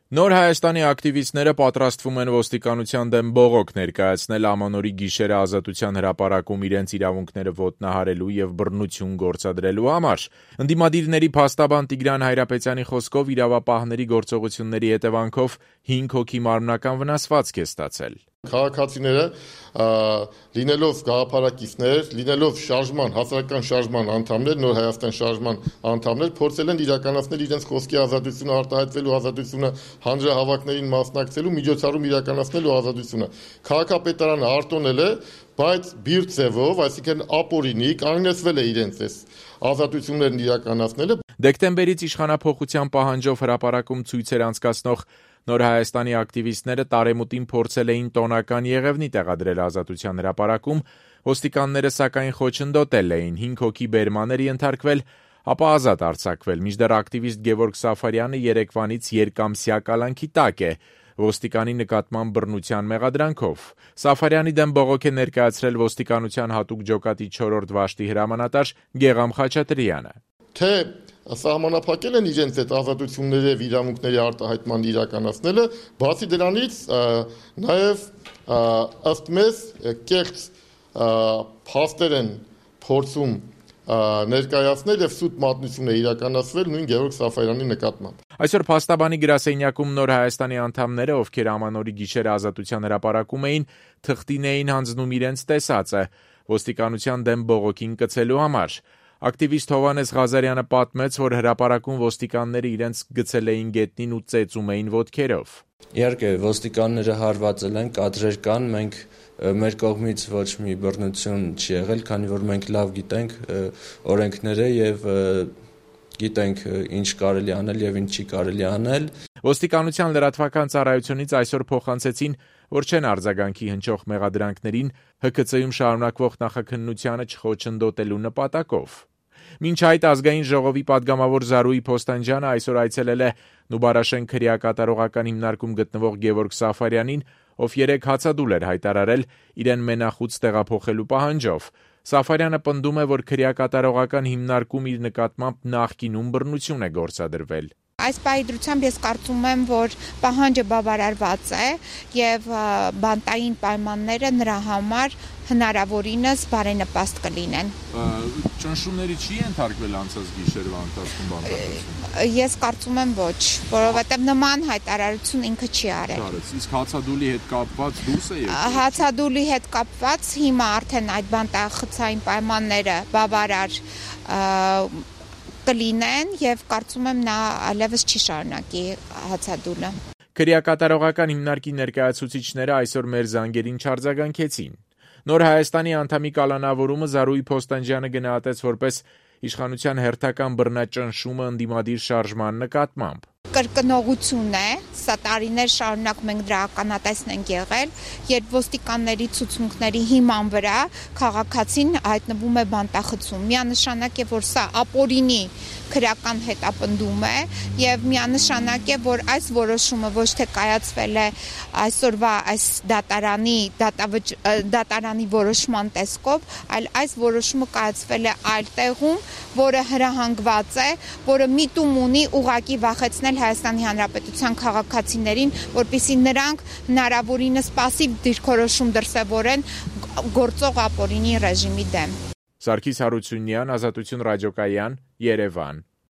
Նոր Հայաստանի ակտիվիստները պատրաստվում են ոստիկանության դեմ բողոք ներկայացնել Ամանորի գիշերը Ազատության հրապարակում իրենց իրավունքները ոտնահարելու եւ բռնություն գործադրելու համար։ Ընդդիմադիրների փաստաբան Տիգրան Հայրապետյանի խոսքով իրավապահների գործողությունների հետևանքով 5 հոգի մարմնական վնասվածք է ստացել։ Քաղաքացիները լինելով գաղափարակիցներ, լինելով հասարակական շարժման անդամներ, Նոր Հայաստան շարժման անդամներ, փորձել են իրականացնել իրենց խոսքի ազատությունը, արտահայտվելու ազատությունը, հանրահավաքներին մասնակցելու, միջոցառում իրականացնելու ազատությունը։ Քաղաքապետարանը արտոնել է, բայց բիրտ ձևով, այսինքն ապօրինի կանգնեցվել է իրենց այս ազատություններն իրականացնելը։ Դեկտեմբերից իշխանափոխության պահանջով հրապարակում ցույցեր անցկացնող Նոր Հայաստանի ակտիվիստները տարեմուտին փորձել էին տոնական եղևնի տեղադրել Ազատության հրապարակում, ոստիկանները սակայն խոչընդոտել էին, 5 հոգի բերման էր ենթարկվել, ապա ազատ արձակվել, մինչդեռ ակտիվիստ Գևորգ Սաֆարյանը երեկվանից երկամսյա կալանքի տակ է, ոստիկանի նկատմամբ բռնության մեղադրանքով։ Սաֆարյանի դեմ բողոք է ներկայացրել ոստիկանության հատուկ ջոկատի 4-րդ վաշտի հրամանատար Գեգամ Խաչատրյանը։ Թե սահմանափակել են իրենց այդ ազատությունների եւ իրավունքների արտահայտման իրականացնելը, բացի դրանից նաեւ ըստ մեզ կեղծ փաստեր են փորձում ներկայացնել եւ սուտ մատնություն է իրականացվել նույն Գևորգ Սաֆարյանի նկատմամբ։ Այսօր փաստաբանի գրասենյակում Նոր Հայաստանի անդամները, ովքեր Ամանորի գիշերը Ազատության հրապարակում էին, թղթին էին հանձնում իրենց տեսածը ոստիկանության դեմ բողոքին կցելու համար։ Ակտիվիստ Հովհաննես Ղազարյանը պատմեց, որ հրապարակում ոստիկանները իրենց գցել էին գետնին ու ծեծում էին ոտքերով։ Իհարկե, ոստիկանները հարվածել են, կադրեր կան, մենք մեր կողմից ոչ մի բռնություն չի եղել, քանի որ մենք լավ գիտենք օրենքները եւ գիտենք ինչ կարելի անել եւ ինչ չի կարելի անել։ Ոստիկանության լրատվական ծառայությունից այսօր փոխանցեցին, որ չեն արձագանքի հնչող մեղադրանքներին ՀՔՑ-ում շարունակվող նախաքննությանը չխոչընդոտելու նպատակով։ Մինչ այդ ազգային ժողովի падգամավոր Զարուհի Փոստանջյանը այսօր այցելել է Նուբարաշեն քրեակատարողական հիմնարկում գտնվող Գևորգ Սաֆարյանին, ով 3 հացադուլ էր հայտարարել իրեն մենախուց տեղափոխելու պահանջով։ Սաֆարյանը պնդում է, որ քրեակատարողական հիմնարկում իր նկատմամբ նախկինում բռնություն է գործադրվել։ Այս պահի ես կարծում եմ, որ պահանջը բավարարված է եւ բանտային պայմանները նրա համար հնարավորինս բարենպաստ կլինեն։ Ճնշումների չի ենթարկվել անցած գիշերվա ընթացքում բանտարկություն։ Ես կարծում եմ ոչ, որովհետեւ նման հայտարարություն ինքը չի արել։ Իսկ հացադուլի հետ կապված դուրս է եկել։ Հացադուլի հետ կապված հիմա արդեն այդ բանտախցային պայմանները բավարար կլինեն եւ կարծում եմ նա այլևս չի շարունակի հացադուլը։ Քրեակատարողական հիմնարկի ներկայացուցիչները այսօր մեր զանգերին չարձագանքեցին։ Նոր Հայաստանի անդամի կալանավորումը Զարուհի Փոստանջյանը գնահատեց որպես իշխանության հերթական բռնաճնշումը ընդդիմադիր շարժման նկատմամբ։ Կրկնողություն է, սա տարիներ շարունակ մենք դրա ականատեսն ենք եղել, երբ ոստիկանների ցուցմունքների հիման վրա քաղաքացին հայտնվում է բանտախցում։ Միանշանակ է, որ սա ապօրինի քրեական հետապնդում է եւ միանշանակ է, որ այս որոշումը ոչ թե կայացվել է այսօրվա այս դատարանի որոշման տեսքով, այլ այս որոշումը կայացվել է այլ տեղում, որը հրահանգված է, որը միտում ունի ուղղակի վախեցնել Հայաստանի Հանրապետության քաղաքացիներին, որպեսզի նրանք հնարավորինս պասիվ դիրքորոշում դրսևորեն գործող ապօրինի ռեժիմի դեմ։ Սարգիս Հարությունյան, Ազատություն ռադիոկայան, Երևան։